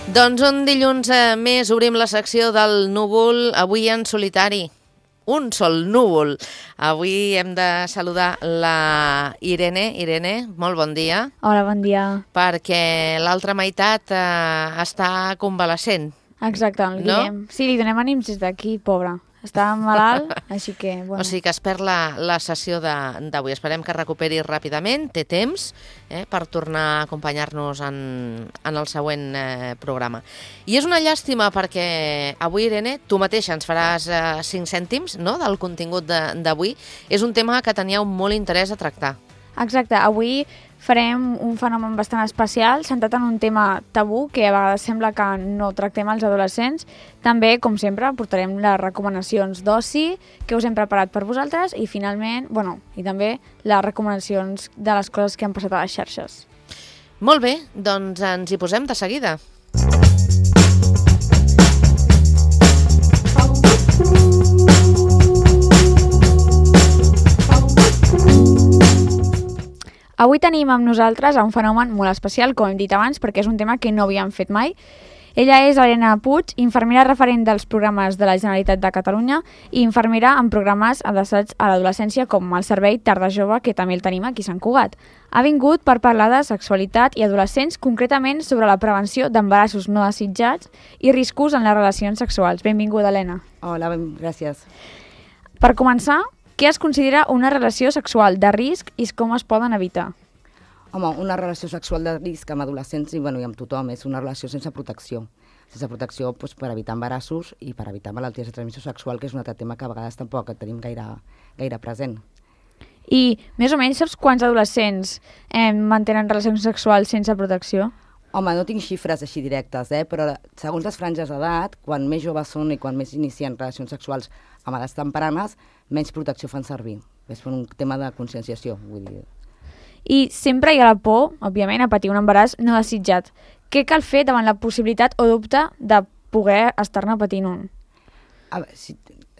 Doncs un dilluns més obrim la secció del núvol, avui en solitari. Un sol núvol. Avui hem de saludar la Irene. Irene, molt bon dia. Hola, bon dia. Perquè l'altra meitat està convalescent. Exacte, el Guillem. No? Sí, li donem ànims des d'aquí, pobre. Està malalt, així que... Bueno. O sigui que es perd la sessió d'avui. Esperem que recuperi ràpidament, té temps per tornar a acompanyar-nos en el següent programa. I és una llàstima perquè avui, Irene, tu mateixa ens faràs 5 cèntims, no?, del contingut d'avui. És un tema que teníeu molt interès a tractar. Exacte, avui farem un fenomen bastant especial, centrat en un tema tabú que a vegades sembla que no tractem als adolescents. També, com sempre, portarem les recomanacions d'oci que us hem preparat per vosaltres i finalment, i també les recomanacions de les coses que han passat a les xarxes. Molt bé, doncs ens hi posem de seguida. Avui tenim amb nosaltres un fenomen molt especial, com hem dit abans, perquè és un tema que no havíem fet mai. Ella és Elena Puig, infermera referent dels programes de la Generalitat de Catalunya i infermera en programes adreçats a l'adolescència com el servei Tarda Jove, que també el tenim aquí a Sant Cugat. Ha vingut per parlar de sexualitat i adolescents, concretament sobre la prevenció d'embarassos no desitjats i riscos en les relacions sexuals. Benvinguda, Elena. Hola, gràcies. Per començar, què es considera una relació sexual de risc i com es poden evitar? Home, una relació sexual de risc amb adolescents i amb tothom és una relació sense protecció. Sense protecció per evitar embarassos i per evitar malalties de transmissió sexual, que és un altre tema que a vegades tampoc tenim gaire present. I més o menys saps quants adolescents mantenen relacions sexuals sense protecció? Home, no tinc xifres així directes, però segons les franges d'edat, quan més joves són i quan més inicien relacions sexuals amb edats tempranes, menys protecció fan servir. És un tema de conscienciació, vull dir. I sempre hi ha la por, òbviament, a patir un embaràs no desitjat. Què cal fer davant la possibilitat o dubte de poder estar-ne patint un? A veure,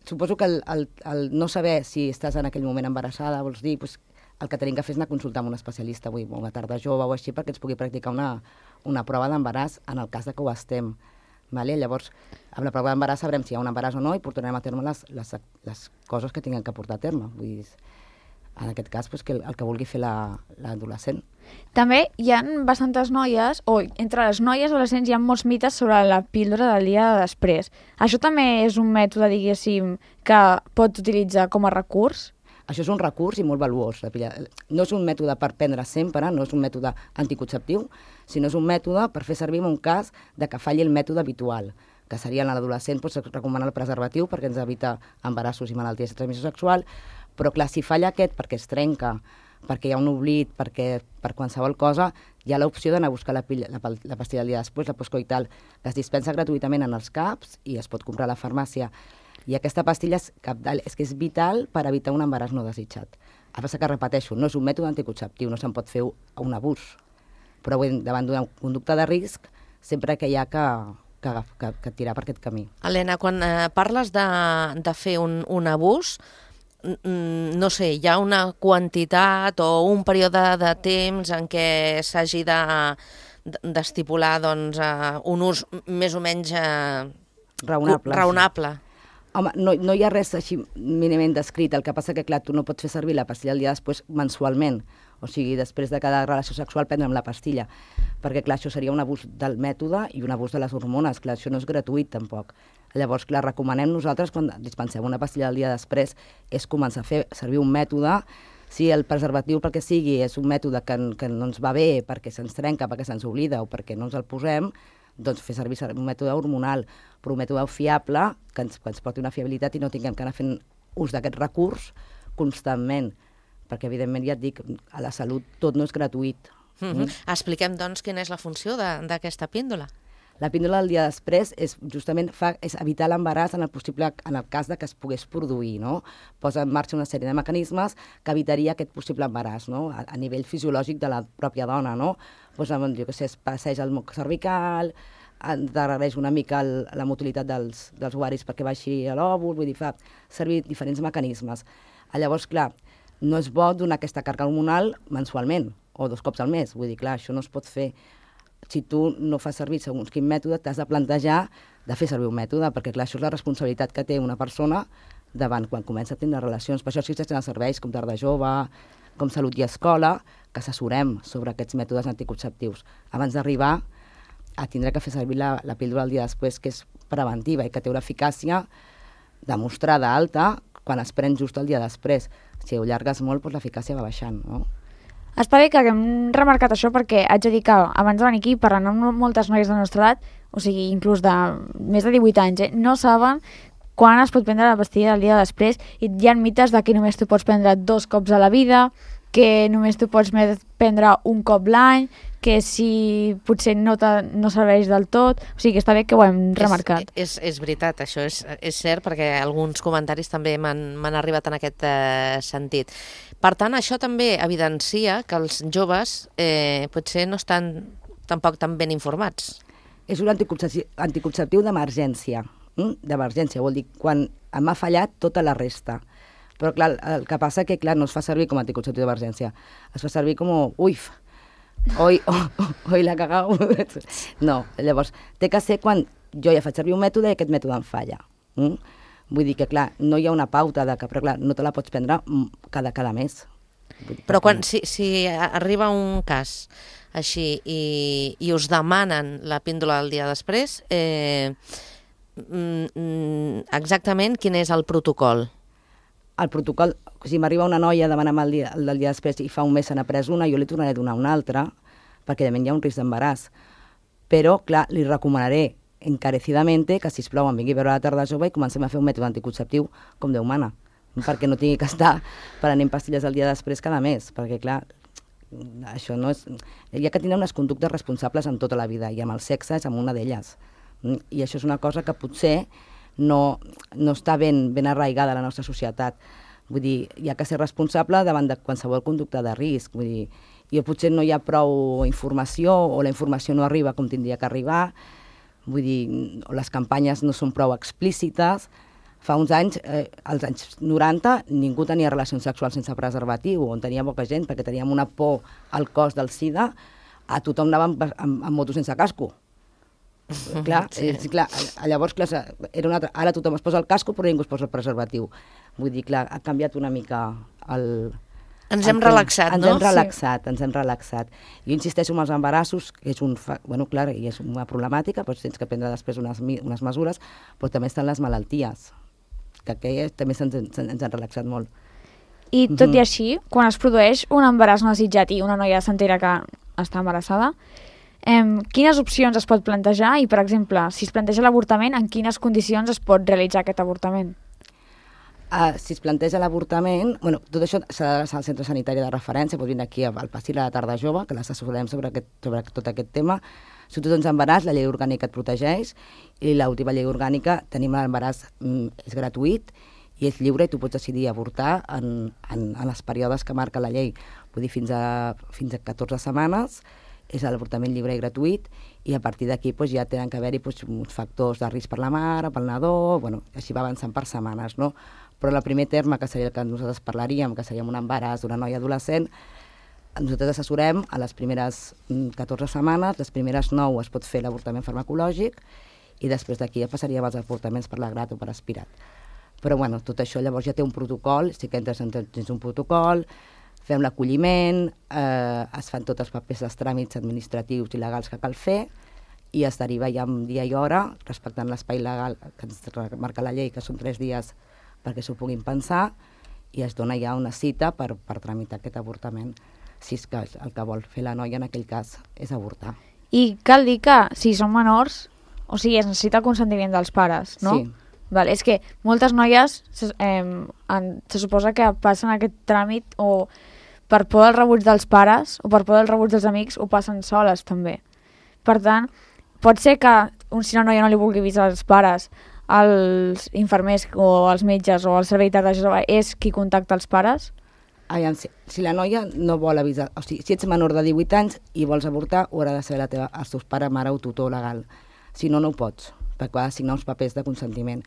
suposo que el no saber si estàs en aquell moment embarassada, vols dir, el que tenim que fer és anar a consultar amb un especialista, una tarda jove o així, perquè ens pugui practicar una prova d'embaràs en el cas de que ho estem. Vale? Llavors, amb la prova d'embaràs sabrem si hi ha un embaràs o no i portarem a terme les coses que tinguem que portar a terme. Vull dir, en aquest cas, el que vulgui fer l'adolescent. També hi ha bastantes noies, o entre les noies adolescents hi ha molts mites sobre la píldora del dia de després. Això també és un mètode, diguéssim, que pot utilitzar com a recurs? Això és un recurs i molt valuós. No és un mètode per prendre sempre, no és un mètode anticonceptiu, sinó és un mètode per fer servir en un cas de que falli el mètode habitual, que seria en l'adolescent recomanar el preservatiu perquè ens evita embarassos i malalties de transmissió sexual, però clar, si falla aquest perquè es trenca, perquè hi ha un oblit, per qualsevol cosa, hi ha l'opció d'anar a buscar la pastilla del dia després, la postcoital, que es dispensa gratuïtament en els CAPs i es pot comprar a la farmàcia. I aquesta pastilla és que és vital per evitar un embaràs no desitjat. A passar que, repeteixo, no és un mètode anticonceptiu, no se'n pot fer un abús. Però davant d'una conducta de risc, sempre que hi ha que tirar per aquest camí. Elena, quan parles de fer un abús, no sé, hi ha una quantitat o un període de temps en què s'hagi d'estipular un ús més o menys raonable. Home, no hi ha res així mínimament descrit, el que passa que, clar, tu no pots fer servir la pastilla el dia després mensualment, o sigui, després de cada relació sexual prendre'm la pastilla, perquè, clar, això seria un abús del mètode i un abús de les hormones, clar, això no és gratuït tampoc. Llavors, clar, recomanem nosaltres, quan dispensem una pastilla el dia després, és començar a fer servir un mètode. Si el preservatiu, pel que sigui, és un mètode que no ens va bé, perquè se'ns trenca, perquè se'ns oblida o perquè no ens el posem, doncs fer servir un mètode hormonal, però un mètode fiable, que ens porti una fiabilitat i no tinguem que anar fent ús d'aquest recurs constantment, perquè evidentment ja et dic, a la salut tot no és gratuït. Expliquem doncs quina és la funció d'aquesta píndola. La píndola del dia després és justament és evitar l'embaràs en el cas de que es pogués produir, no? Posa en marxa una sèrie de mecanismes que evitaria aquest possible embaràs, no? A nivell fisiològic de la pròpia dona, no? Pues, jo què sé, es passeja el moc cervical, endarrereix una mica la motilitat dels ovaris perquè baixi l'òvul, vull dir, fa servir diferents mecanismes. Llavors, clar, no és bo donar aquesta càrrega hormonal mensualment o 2 cops al mes, vull dir, clar, això no es pot fer. si tu no fas servir segons quin mètode, t'has de plantejar de fer servir un mètode, perquè clar, això és la responsabilitat que té una persona davant quan comença a tenir relacions. Per això existeixen els serveis com Tarda Jove, com Salut i Escola, que assessorem sobre aquests mètodes anticonceptius. Abans d'arribar a tindre que fer servir la píldora el dia després, que és preventiva i que té una eficàcia demostrada alta quan es pren just el dia després. Si ho llargues molt, doncs l'eficàcia va baixant, no? Està bé que haguem remarcat això perquè haig de dir que abans de venir aquí, parlant amb moltes noies de la nostra edat, o sigui, inclús de més de 18 anys, no saben quan es pot prendre la pastilla del dia després, i hi ha mites de que només tu pots prendre 2 cops a la vida, que només tu pots prendre un cop l'any, que si potser no serveix del tot, o sigui que està bé que ho hem remarcat. És veritat, això és cert, perquè alguns comentaris també m'han arribat en aquest sentit. Per tant, això també evidencia que els joves potser no estan tampoc tan ben informats. És un anticonceptiu d'emergència. D'emergència, vol dir quan m'ha fallat tota la resta. Però clar, el que passa que no es fa servir com a anticonceptiu d'emergència, es fa servir com, hoy la cagau. No, llavors, té que ser quan jo ja faig servir un mètode i aquest mètode em falla. Vull dir que, clar, no hi ha una pauta de que, però clar, no te la pots prendre cada mes. Però si arriba un cas així i us demanen la píndola el dia després, exactament quin és el protocol? El protocol, si m'arriba una noia a demanar el dia després i fa un mes se n'ha pres una, jo li tornaré a donar una altra, perquè de hi ha un risc d'embaràs. Però, clar, li recomanaré encarecidament que, sisplau, em vingui a veure la Tarda Jove i comencem a fer un mètode anticonceptiu com Déu mana, perquè no tingui que estar prenent pastilles el dia després cada mes, perquè, clar, això no és... Hi ha que tenir unes conductes responsables en tota la vida, i amb el sexe és amb una d'elles. I això és una cosa que potser no està ben arraigada a la nostra societat. Vull dir, hi ha que ser responsable davant de qualsevol conducta de risc. Vull dir, i potser no hi ha prou informació, o la informació no arriba com tindria que arribar, vull dir, les campanyes no són prou explícites. Fa uns anys, als anys 90, ningú tenia relacions sexuals sense preservatiu, on tenia poca gent, perquè teníem una por al cos del SIDA, a tothom anava amb moto sense casco. Clar, llavors era una altra. Ara tothom es posa el casco però ningú es posa el preservatiu. Vull dir, clar, ha canviat una mica el... Ens hem relaxat, no? Ens hem relaxat. Jo insisteixo amb els embarassos, que és clar, i és una problemàtica, però tens que prendre després unes mesures, però també estan les malalties, que aquelles també ens han relaxat molt. I tot i així, quan es produeix un embaràs no desitjat i una noia s'entera que està embarassada, quines opcions es pot plantejar i, per exemple, si es planteja l'avortament, en quines condicions es pot realitzar aquest avortament? Si es planteja l'avortament, tot això s'ha d'adreçar al centre sanitari de referència, pot venir aquí al Passil a la Tarda Jove, que l'assessorem sobre tot aquest tema. Si tu tens embaràs, la llei orgànica et protegeix, i l'última llei orgànica, tenim l'embaràs, és gratuït i és lliure, i tu pots decidir avortar en els períodes que marca la llei. Vull dir, fins a 14 setmanes, és l'avortament lliure i gratuït, i a partir d'aquí ja tenen que haver-hi uns factors de risc per la mare, pel nadó, així va avançant per setmanes, no? Però el primer terme, que seria el que nosaltres parlaríem, que seria un embaràs d'una noia adolescent, nosaltres assessorem a les primeres 14 setmanes, les primeres 9 es pot fer l'avortament farmacològic, i després d'aquí ja passaríem als avortaments per la grat o per aspirat. Però tot això llavors ja té un protocol, sí que entres dins un protocol, fem l'acolliment, es fan tots els papers dels tràmits administratius i legals que cal fer, i es deriva ja en dia i hora, respectant l'espai legal que ens marca la llei, que són 3 dies perquè s'ho puguin pensar, i es dona ja una cita per tramitar aquest avortament, si és que el que vol fer la noia en aquell cas és avortar. I cal dir que si són menors, o sigui, es necessita el consentiment dels pares, no? Sí. Vale, és que moltes noies se suposa que passen aquest tràmit o per por del rebuig dels pares o per por del rebuig dels amics ho passen soles també. Per tant, pot ser que si una noia no li vulgui avisar als pares, els infermers o els metges o el servei Tarda Jove és qui contacta els pares? Aviam, si la noia no vol avisar, o sigui, si ets menor de 18 anys i vols avortar, ho haurà de saber els teus pares, mare o tutor legal. Si no, no ho pots, perquè ha de signar uns papers de consentiment.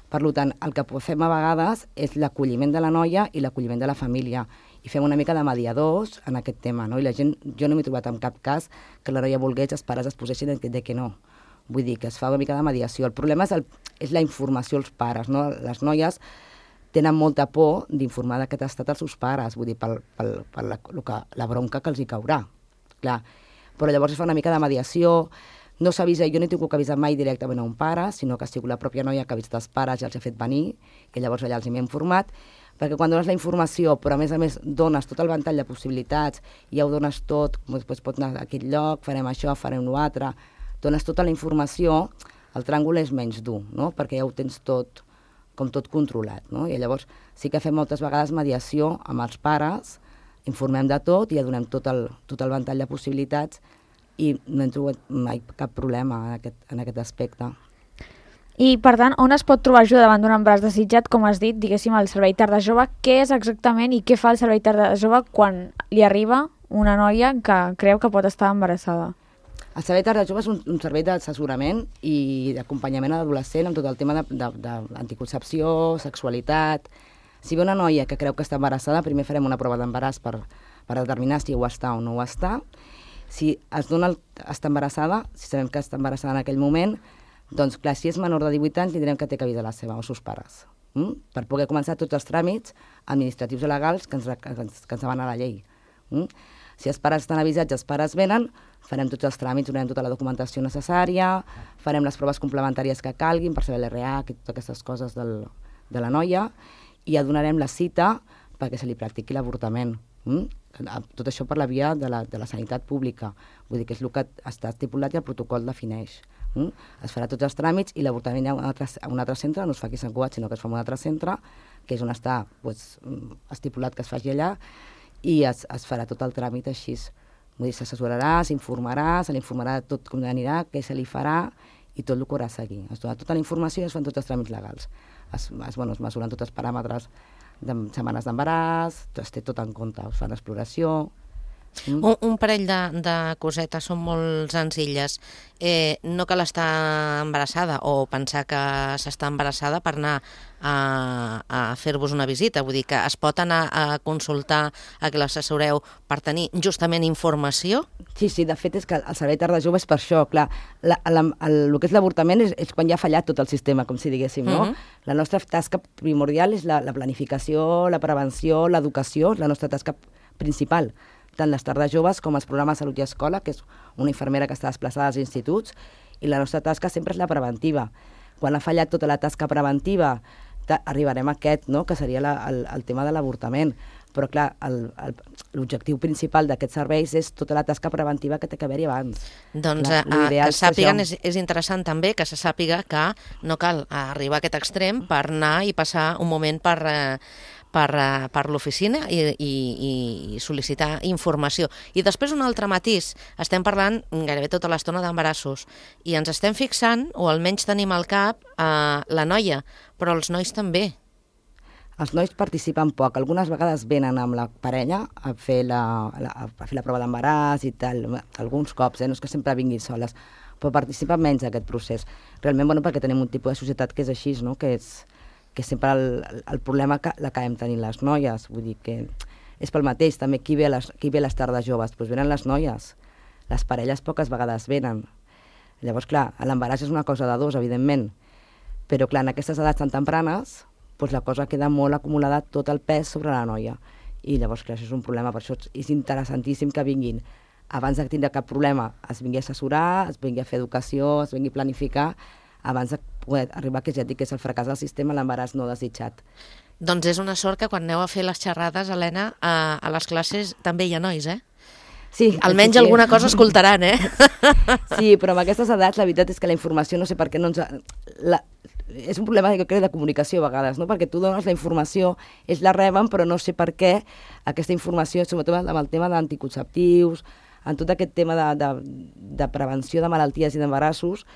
Per tant, el que fem a vegades és l'acolliment de la noia i l'acolliment de la família. i fem una mica de mediadors en aquest tema, no? I la gent, jo no m'he trobat en cap cas que la noia volgués, els pares es posessin de que no. Vull dir que es fa una mica de mediació. El problema és la informació als pares, no? Les noies tenen molta por d'informar d'aquest estat als seus pares, vull dir, per la bronca que els hi caurà. Clar. Però llavors es fa una mica de mediació, no s'avisa, jo no he tingut que avisar mai directament a un pare, sinó que ha sigut la pròpia noia que ha vist els pares i els ha fet venir, i llavors allà els hi hem informat, perquè quan dones la informació, però a més dones tot el ventall de possibilitats, ja ho dones tot, doncs pots anar a aquest lloc, farem això, farem l'altre, dones tota la informació, el tràngol és menys dur, no? Perquè ja ho tens tot, com tot controlat, no? I llavors sí que fem moltes vegades mediació amb els pares, informem de tot i ja donem tot el ventall de possibilitats i no hem trobat mai cap problema en aquest aspecte. I, per tant, on es pot trobar ajuda davant d'un embaràs desitjat, com has dit, diguéssim, el Servei Tarda Jove? Què és exactament i què fa el Servei Tarda Jove quan li arriba una noia que creu que pot estar embarassada? El Servei Tarda Jove és un servei d'assessorament i d'acompanyament a l'adolescent amb tot el tema d'anticoncepció, sexualitat. Si ve una noia que creu que està embarassada, primer farem una prova d'embaràs per determinar si ho està o no ho està. Si es dona està embarassada, si sabem que està embarassada en aquell moment, doncs clar, si és menor de 18 anys, tindrem que té que avisar la seva o els seus pares, per poder començar tots els tràmits administratius i legals que ens demana la llei. Si els pares estan avisats i els pares venen, farem tots els tràmits, donarem tota la documentació necessària, farem les proves complementàries que calguin per saber l'RA, totes aquestes coses de la noia, i ja donarem la cita perquè se li practiqui l'avortament. Tot això per la via de la sanitat pública. Vull dir que és el que està estipulat i el protocol defineix. Es farà tots els tràmits i l'avortament a un altre centre, no es fa aquí a Sant Cugat, sinó que es fa en un altre centre, que és on està estipulat que es faci allà, i es farà tot el tràmit així. Vull dir, s'assessorarà, s'informarà, se li informarà tot com anirà, què se li farà i tot el que haurà a seguir. Es dona tota la informació i es fan tots els tràmits legals. Es mesuren tots els paràmetres de setmanes d'embaràs, es té tot en compte, es fan exploració. Un parell de cosetes, són molt senzilles. No cal estar embarassada o pensar que s'està embarassada per anar a fer-vos una visita. Vull dir que es pot anar a consultar, a que l'assessoreu per tenir justament informació? Sí, de fet és que el Servei Tarda Jove és per això, clar. El que és l'avortament és quan ja ha fallat tot el sistema, com si diguéssim, no? La nostra tasca primordial és la planificació, la prevenció, l'educació, la nostra tasca principal. Tant les tardes joves com els programes Salut i Escola, que és una infermera que està desplaçada als instituts, i la nostra tasca sempre és la preventiva. Quan ha fallat tota la tasca preventiva, arribarem a aquest, no?, que seria el tema de l'avortament. Però, clar, l'objectiu principal d'aquests serveis és tota la tasca preventiva que té que haver-hi abans. Doncs que sàpiguen, és interessant també que se sàpiga que no cal arribar a aquest extrem per anar i passar un moment per l'oficina i sol·licitar informació. I després un altre matís, estem parlant gairebé tota l'estona d'embarassos i ens estem fixant, o almenys tenim al cap, la noia, però els nois també. Els nois participen poc, algunes vegades venen amb la parella a fer la prova d'embaràs i tal, alguns cops, no és que sempre vinguin soles, però participen menys d'aquest procés. Realment, perquè tenim un tipus de societat que és així, no?, que és sempre el problema que l'acabem tenint les noies. Vull dir que és pel mateix, també qui ve a les tardes joves? Doncs venen les noies. Les parelles poques vegades venen. Llavors, clar, l'embaràs és una cosa de dos, evidentment, però clar, en aquestes edats tan tempranes, doncs la cosa queda molt acumulada, tot el pes sobre la noia. I llavors, clar, això és un problema, per això és interessantíssim que vinguin. Abans de tindre cap problema, es vingui a assessorar, es vingui a fer educació, es vingui a planificar, abans de poder arribar, que ja et dic que és el fracàs del sistema, l'embaràs no desitjat. Doncs és una sort que quan aneu a fer les xerrades, Helena, a les classes també hi ha nois, Sí. Almenys alguna cosa escoltaran, Sí, però amb aquestes edats la veritat és que la informació, no sé per què no ens... És un problema, jo crec, de comunicació a vegades, no? Perquè tu dones la informació, ells la reben, però no sé per què aquesta informació, sobretot amb el tema d'anticonceptius, en tot aquest tema de prevenció de malalties i d'embarassos,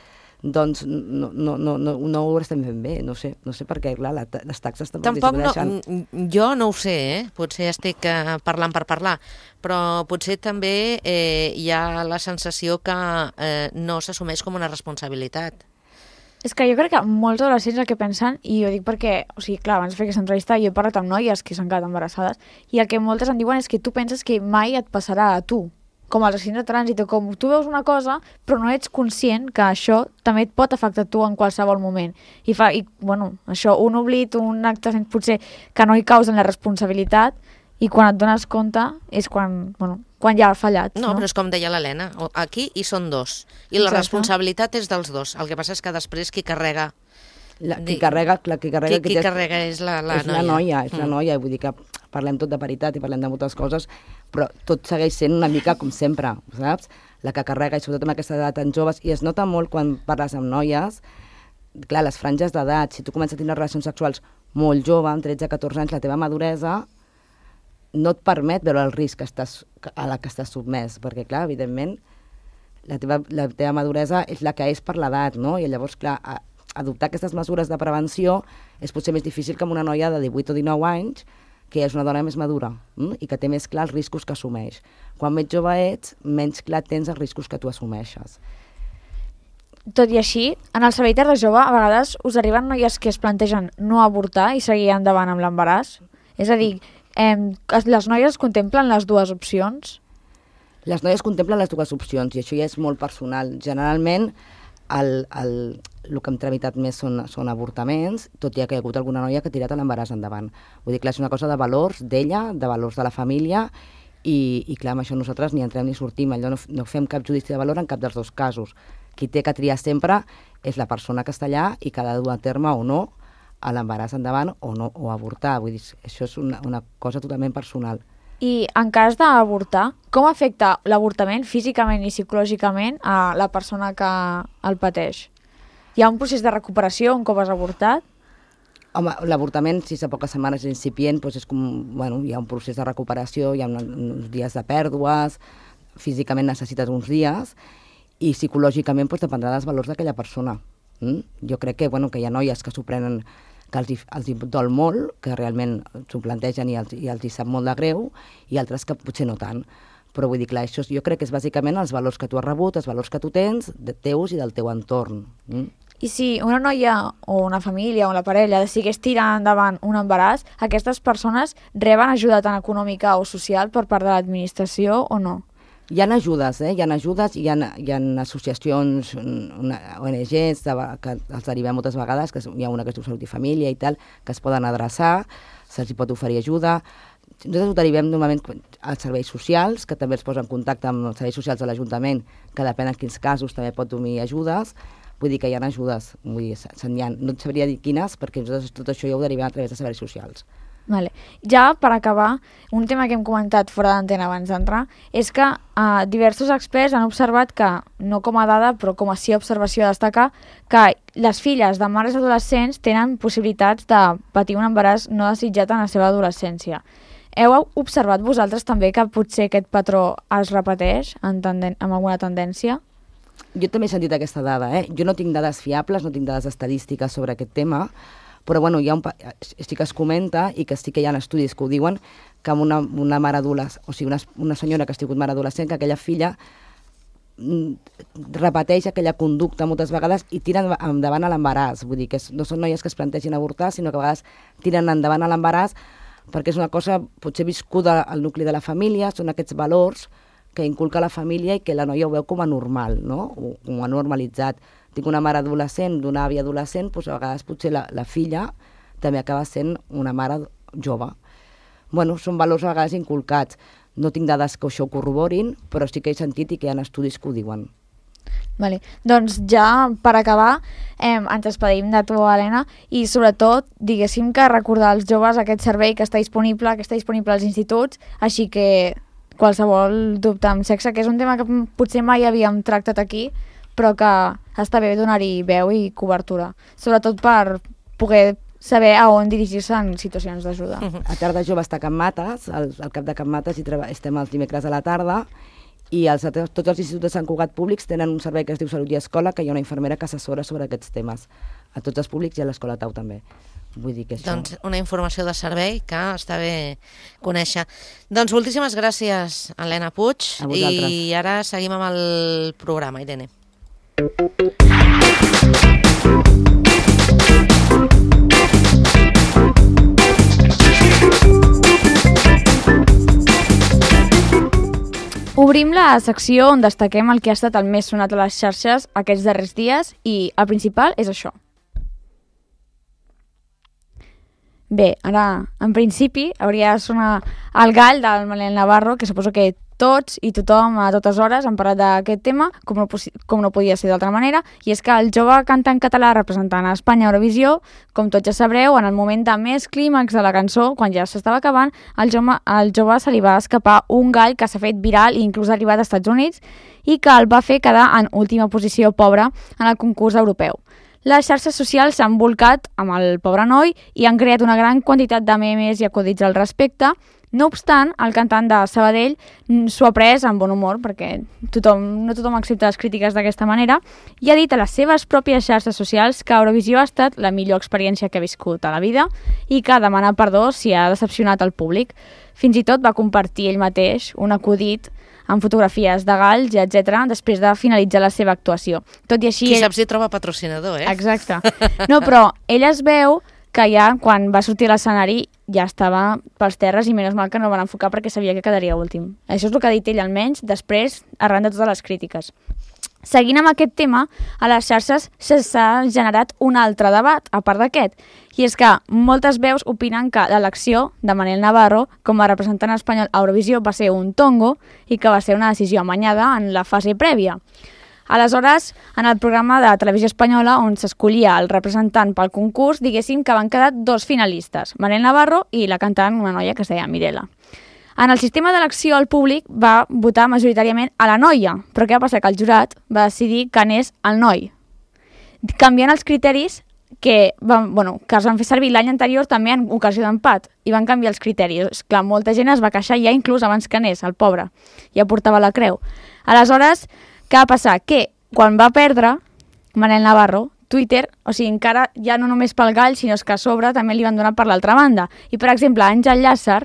doncs no ho estem fent bé, no sé per què, clar, les taxes també disminueixen. Jo no ho sé, potser estic parlant per parlar, però potser també hi ha la sensació que no s'assumeix com una responsabilitat. És que jo crec que molts adolescents el que pensen, i ho dic perquè, o sigui, clar, abans de fer aquesta entrevista jo he parlat amb noies que s'han quedat embarassades, i el que moltes em diuen és que tu penses que mai et passarà a tu, com els accidents de trànsit, o com tu veus una cosa, però no ets conscient que això també et pot afectar a tu en qualsevol moment. I bueno, això, un oblit, un acte potser que no hi causen la responsabilitat, i quan et dones compte és quan ja ha fallat. No, però és com deia l'Helena, aquí hi són dos, i la responsabilitat és dels dos. El que passa és que després qui carrega... Qui carrega és la noia. És la noia, vull dir que parlem tot de paritat i parlem de moltes coses, però tot segueix sent una mica com sempre, saps? La que carrega, i sobretot amb aquesta edat tan joves, i es nota molt quan parles amb noies, clar, les franges d'edat, si tu comences a tenir relacions sexuals molt jove, amb 13-14 anys, la teva maduresa no et permet veure el risc a la que estàs submès, perquè, clar, evidentment, la teva maduresa és la que és per l'edat, no? I llavors, clar, adoptar aquestes mesures de prevenció és potser més difícil que amb una noia de 18 o 19 anys, que és una dona més madura i que té més clar els riscos que assumeix. Quan més jove ets, menys clar tens els riscos que tu assumeixes. Tot i així, en el servei de jove, a vegades us arriben noies que es plantegen no avortar i seguir endavant amb l'embaràs? És a dir, les noies contemplen les dues opcions? Les noies contemplen les dues opcions, i això ja és molt personal. Generalment, el que hem tramitat més són avortaments, tot i que hi ha hagut alguna noia que ha tirat l'embaràs endavant. Vull dir, clar, és una cosa de valors d'ella, de valors de la família, i clar, amb això nosaltres ni entrem ni sortim, allò no fem cap judici de valor en cap dels dos casos. Qui té que triar sempre és la persona que està allà i que ha de dur a terme o no a l'embaràs endavant o avortar. Vull dir, això és una cosa totalment personal. I en cas d'avortar, com afecta l'avortament físicament i psicològicament a la persona que el pateix? Hi ha un procés de recuperació un cop has avortat? Home, l'avortament, si és a poques setmanes incipient, doncs és com, hi ha un procés de recuperació, hi ha uns dies de pèrdues, físicament necessites uns dies, i psicològicament dependrà dels valors d'aquella persona. Jo crec que hi ha noies que s'ho prenen, que els hi dol molt, que realment s'ho plantegen i els hi sap molt de greu, i altres que potser no tant. Però vull dir, clar, això jo crec que és bàsicament els valors que tu has rebut, els valors que tu tens, teus i del teu entorn. I si una noia o una família o la parella decidís tirar endavant un embaràs, aquestes persones reben ajuda tant econòmica o social per part de l'administració o no? Hi ha ajudes, hi ha ajudes, hi ha associacions, ONGs, que els derivem moltes vegades, que hi ha una que es diu Salut i Família i tal, que es poden adreçar, se'ls pot oferir ajuda. Nosaltres ho derivem normalment als serveis socials, que també els posen en contacte amb els serveis socials de l'Ajuntament, que depèn en quins casos també pot donar ajudes. Vull dir que hi ha ajudes, no et sabria dir quines, perquè nosaltres tot això ja ho derivem a través de serveis socials. Vale. Ja per acabar, un tema que hem comentat fora d'antena abans d'entrar és que diversos experts han observat que, no com a dada però com a sí observació a destacar, que les filles de mares adolescents tenen possibilitats de patir un embaràs no desitjat en la seva adolescència. Heu observat vosaltres també que potser aquest patró es repeteix amb alguna tendència? Jo també he sentit aquesta dada. Jo no tinc dades fiables, no tinc dades estadístiques sobre aquest tema, però sí que es comenta i que sí que hi ha estudis que ho diuen, que amb una mare adolescent, o sigui, una senyora que ha sigut mare adolescent, que aquella filla repeteix aquella conducta moltes vegades i tiren endavant a l'embaràs. Vull dir que no són noies que es plantegin avortar, sinó que a vegades tiren endavant a l'embaràs perquè és una cosa potser viscuda al nucli de la família, són aquests valors que inculca la família i que la noia ho veu com a normal, no? O com a normalitzat. Tinc una mare adolescent, d'una àvia adolescent, doncs a vegades potser la filla també acaba sent una mare jove. Són valors a vegades inculcats. No tinc dades que això ho corroborin, però sí que he sentit i que hi ha estudis que ho diuen. Vale. Doncs ja per acabar ens despedim de tu, Helena, i sobretot diguéssim que recordar als joves aquest servei que està disponible als instituts, així que qualsevol dubte amb sexe, que és un tema que potser mai havíem tractat aquí, però que està bé donar-hi veu i cobertura, sobretot per poder saber a on dirigir-se en situacions d'ajuda. A Tarda Jove està a Can Mates, al cap de Can Mates estem els dimecres a la tarda, i tots els instituts de Sant Cugat públics tenen un servei que es diu Salut i Escola, que hi ha una infermera que assessora sobre aquests temes. A tots els públics i a l'Escola Tau també. Vull dir que això... Doncs una informació de servei que està bé conèixer. Doncs moltíssimes gràcies, Helena Puig. A vosaltres. I ara seguim amb el programa, Irene. Obrim la secció on destaquem el que ha estat el més sonat a les xarxes aquests darrers dies i el principal és això. Bé, ara, en principi, hauria de sonar el gall del Manel Navarro, que suposo que tots i tothom a totes hores han parlat d'aquest tema, com no podia ser d'altra manera, i és que el jove cantant català representant a Espanya a Eurovisió, com tots ja sabreu, en el moment de més clímax de la cançó, quan ja s'estava acabant, al jove se li va escapar un gall que s'ha fet viral i inclús ha arribat als Estats Units i que el va fer quedar en última posició pobra en el concurs europeu. Les xarxes socials s'han volcat amb el pobre noi i han creat una gran quantitat de memes i acudits al respecte. No obstant, el cantant de Sabadell s'ho ha pres amb bon humor, perquè no tothom accepta les crítiques d'aquesta manera, i ha dit a les seves pròpies xarxes socials que Eurovisió ha estat la millor experiència que ha viscut a la vida i que demana perdó si ha decepcionat el públic. Fins i tot va compartir ell mateix un acudit amb fotografies de galls, etc., després de finalitzar la seva actuació. Tot i així... Qui sap si troba patrocinador, eh? Exacte. No, però ell es veu que ja, quan va sortir a l'escenari, ja estava pels terres i menys mal que no el van enfocar perquè sabia que quedaria últim. Això és el que ha dit ell, almenys, després, arran de totes les crítiques. Seguint amb aquest tema, a les xarxes s'ha generat un altre debat, a part d'aquest, i és que moltes veus opinen que l'elecció de Manel Navarro com a representant espanyol a Eurovisió va ser un tongo i que va ser una decisió amanyada en la fase prèvia. Aleshores, en el programa de Televisió Espanyola, on s'escollia el representant pel concurs, diguéssim que van quedar dos finalistes, Manel Navarro i la cantant, una noia que es deia Mirela. En el sistema d'elecció, el públic va votar majoritàriament a la noia, però què va passar? Que el jurat va decidir que anés el noi, canviant els criteris que es van fer servir l'any anterior també en ocasió d'empat, i van canviar els criteris. Clar, molta gent es va queixar ja inclús abans que anés, el pobre, ja portava la creu. Aleshores, què va passar? Que quan va perdre Manel Navarro, Twitter, o sigui, encara ja no només pel gall, sinó que a sobre també li van donar per l'altra banda. I, per exemple, Àngel Llàcer,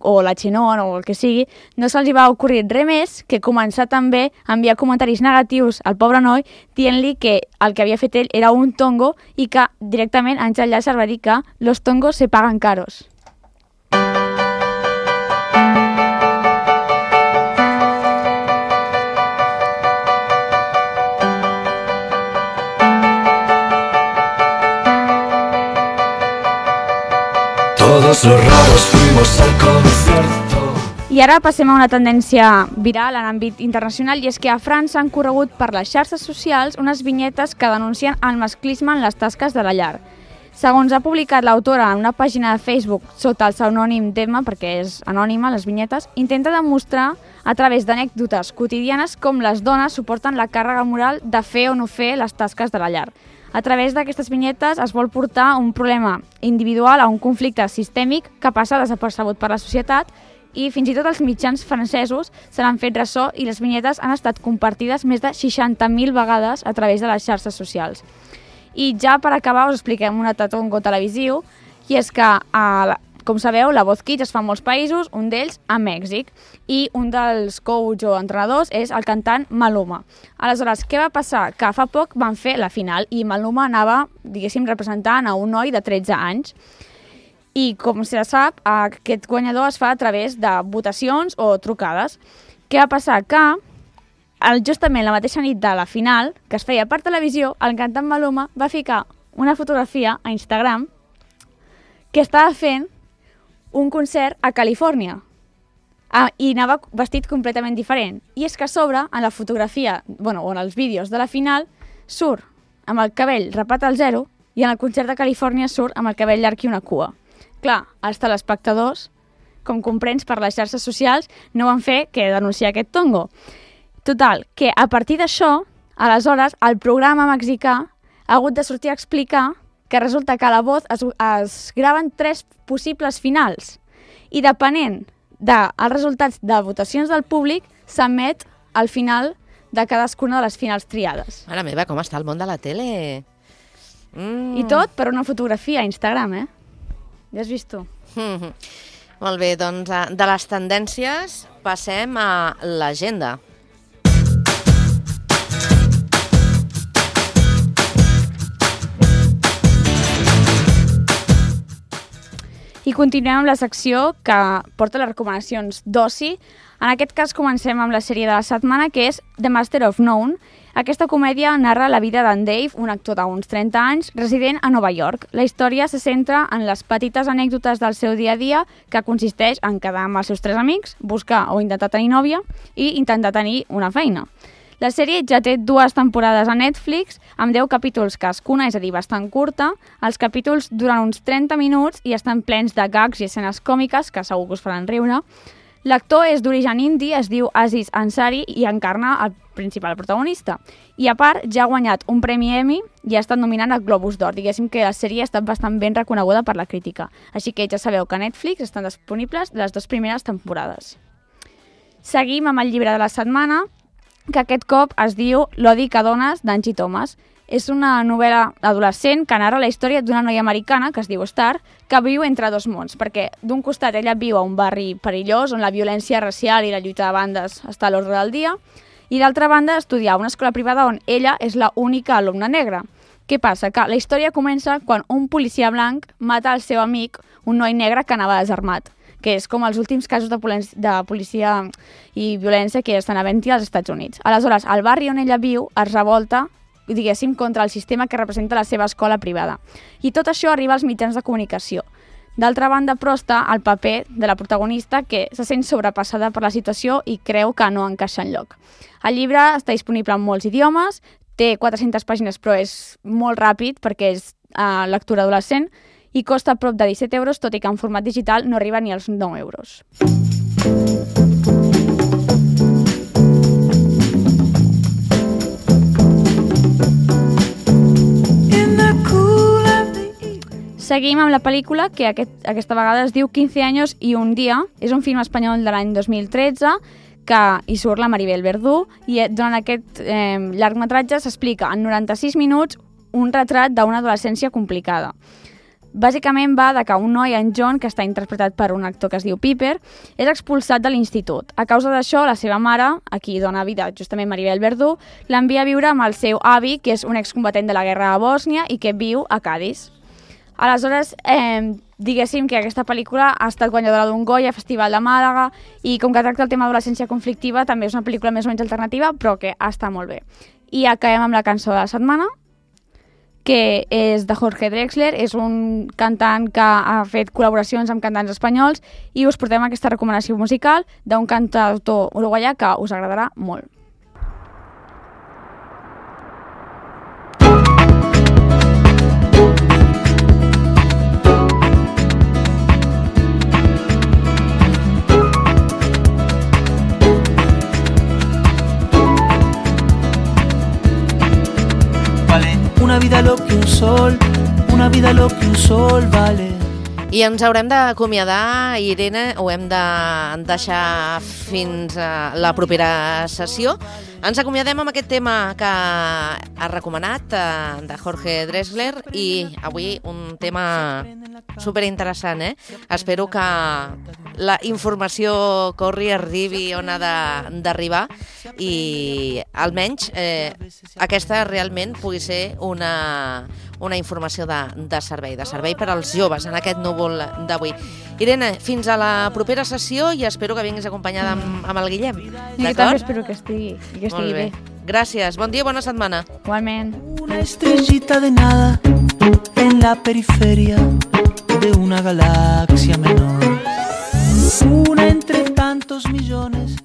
o la Xenón o el que sigui, no se'ls va ocorrir res més que començar també a enviar comentaris negatius al pobre noi dient-li que el que havia fet ell era un tongo i que directament Àngel Llàcer va dir que los tongos se pagan caros. Todos los raros fuimos al concierto. I ara passem a una tendència viral en àmbit internacional, i és que a França han corregut per les xarxes socials unes vinyetes que denuncien el masclisme en les tasques de la llar. Segons ha publicat l'autora en una pàgina de Facebook sota el pseudònim d'Emma, perquè és anònima, les vinyetes, intenta demostrar a través d'anècdotes quotidianes com les dones suporten la càrrega moral de fer o no fer les tasques de la llar. A través d'aquestes vinyetes es vol portar un problema individual a un conflicte sistèmic que passa desapercebut per la societat, i fins i tot els mitjans francesos se n'han fet ressò i les vinyetes han estat compartides més de 60.000 vegades a través de les xarxes socials. I ja per acabar us expliquem un altre tongo televisiu, i és que, com sabeu, la Voz Kids es fa en molts països, un d'ells a Mèxic, i un dels coach o entrenadors és el cantant Maluma. Aleshores, què va passar? Que fa poc van fer la final i Maluma anava, diguéssim, representant a un noi de 13 anys. I, com se sap, aquest guanyador es fa a través de votacions o trucades. Què va passar? Que justament la mateixa nit de la final, que es feia per televisió, el cantant Maluma va ficar una fotografia a Instagram que estava fent un concert a Califòrnia. I anava vestit completament diferent. I és que a sobre, en la fotografia, o en els vídeos de la final, surt amb el cabell rapat al zero i en el concert de Califòrnia surt amb el cabell llarg i una cua. Clar, els telespectadors, com comprens per les xarxes socials, no van fer que denunciar aquest tongo. Total, que a partir d'això, aleshores, el programa mexicà ha hagut de sortir a explicar que resulta que a la Voz es graven 3 possibles finals i depenent dels resultats de votacions del públic s'emet el final de cadascuna de les finals triades. Mare meva, com està el món de la tele? I tot per una fotografia a Instagram, Ja has vist tu. Molt bé, doncs de les tendències passem a l'agenda. I continuem amb la secció que porta les recomanacions d'oci. En aquest cas comencem amb la sèrie de la setmana, que és The Master of None. Aquesta comèdia narra la vida d'en Dave, un actor d'uns 30 anys, resident a Nova York. La història se centra en les petites anècdotes del seu dia a dia, que consisteix en quedar amb els seus 3 amics, buscar o intentar tenir nòvia i intentar tenir una feina. La sèrie ja té 2 temporades a Netflix, amb 10 capítols cadascuna, és a dir, bastant curta. Els capítols duren uns 30 minuts i estan plens de gags i escenes còmiques que segur que us faran riure. L'actor és d'origen indi, es diu Aziz Ansari i encarna el principal protagonista. I a part, ja ha guanyat un premi Emmy i ha estat nominat al Globus d'Or. Diguéssim que la sèrie ha estat bastant ben reconeguda per la crítica. Així que ja sabeu que a Netflix estan disponibles les 2 primeres temporades. Seguim amb el llibre de la setmana, que aquest cop es diu L'odi que dones, d'Angie Thomas. És una novel·la adolescent que narra la història d'una noia americana, que es diu Star, que viu entre 2 mons, perquè d'un costat ella viu a un barri perillós on la violència racial i la lluita de bandes està a l'ordre del dia, i d'altra banda estudia a una escola privada on ella és l'única alumna negra. Què passa? Que la història comença quan un policia blanc mata el seu amic, un noi negre que anava desarmat, que és com els últims casos de policia i violència que estan havent-hi als Estats Units. Aleshores, el barri on ella viu es revolta, diguéssim, contra el sistema que representa la seva escola privada. I tot això arriba als mitjans de comunicació. D'altra banda, però, està el paper de la protagonista, que se sent sobrepassada per la situació i creu que no encaixa enlloc. El llibre està disponible en molts idiomes, té 400 pàgines, però és molt ràpid perquè és lectura adolescent, i costa prop de 17 euros, tot i que en format digital no arriba ni als 9 euros. Seguim amb la pel·lícula, que aquesta vegada es diu 15 años y un día. És un film espanyol de l'any 2013, que hi surt la Maribel Verdú, i durant aquest llargmetratge s'explica en 96 minuts un retrat d'una adolescència complicada. Bàsicament va de que un noi, en John, que està interpretat per un actor que es diu Piper, és expulsat de l'institut. A causa d'això, la seva mare, a qui dona vida justament Maribel Verdú, l'envia a viure amb el seu avi, que és un excombatent de la guerra de Bòsnia i que viu a Cádiz. Aleshores, diguéssim que aquesta pel·lícula ha estat guanyadora d'un Goya, Festival de Màlaga, i com que tracta el tema d'adolescència conflictiva, també és una pel·lícula més o menys alternativa, però que està molt bé. I acabem amb la cançó de la setmana, que és de Jorge Drexler, és un cantant que ha fet col·laboracions amb cantants espanyols, i us portem aquesta recomanació musical d'un cantautor uruguaià que us agradarà molt. Una vida lo que un sol vale. I ens haurem d'acomiadar, Irene, ho hem de deixar fins a la propera sessió. Ens acomiadem amb aquest tema que ha recomanat de Jorge Drexler, i avui un tema superinteressant, Espero que la informació corri, arribi on ha d'arribar, i almenys aquesta realment pugui ser una informació de servei per als joves en aquest núvol d'avui. Irene, fins a la propera sessió, i espero que vinguis acompanyada amb el Guillem. Jo també espero que estigui bé. Gràcies, bon dia i bona setmana. Igualment. Una estrellita de nada en la periferia de una galaxia menor. Una entre tantos millones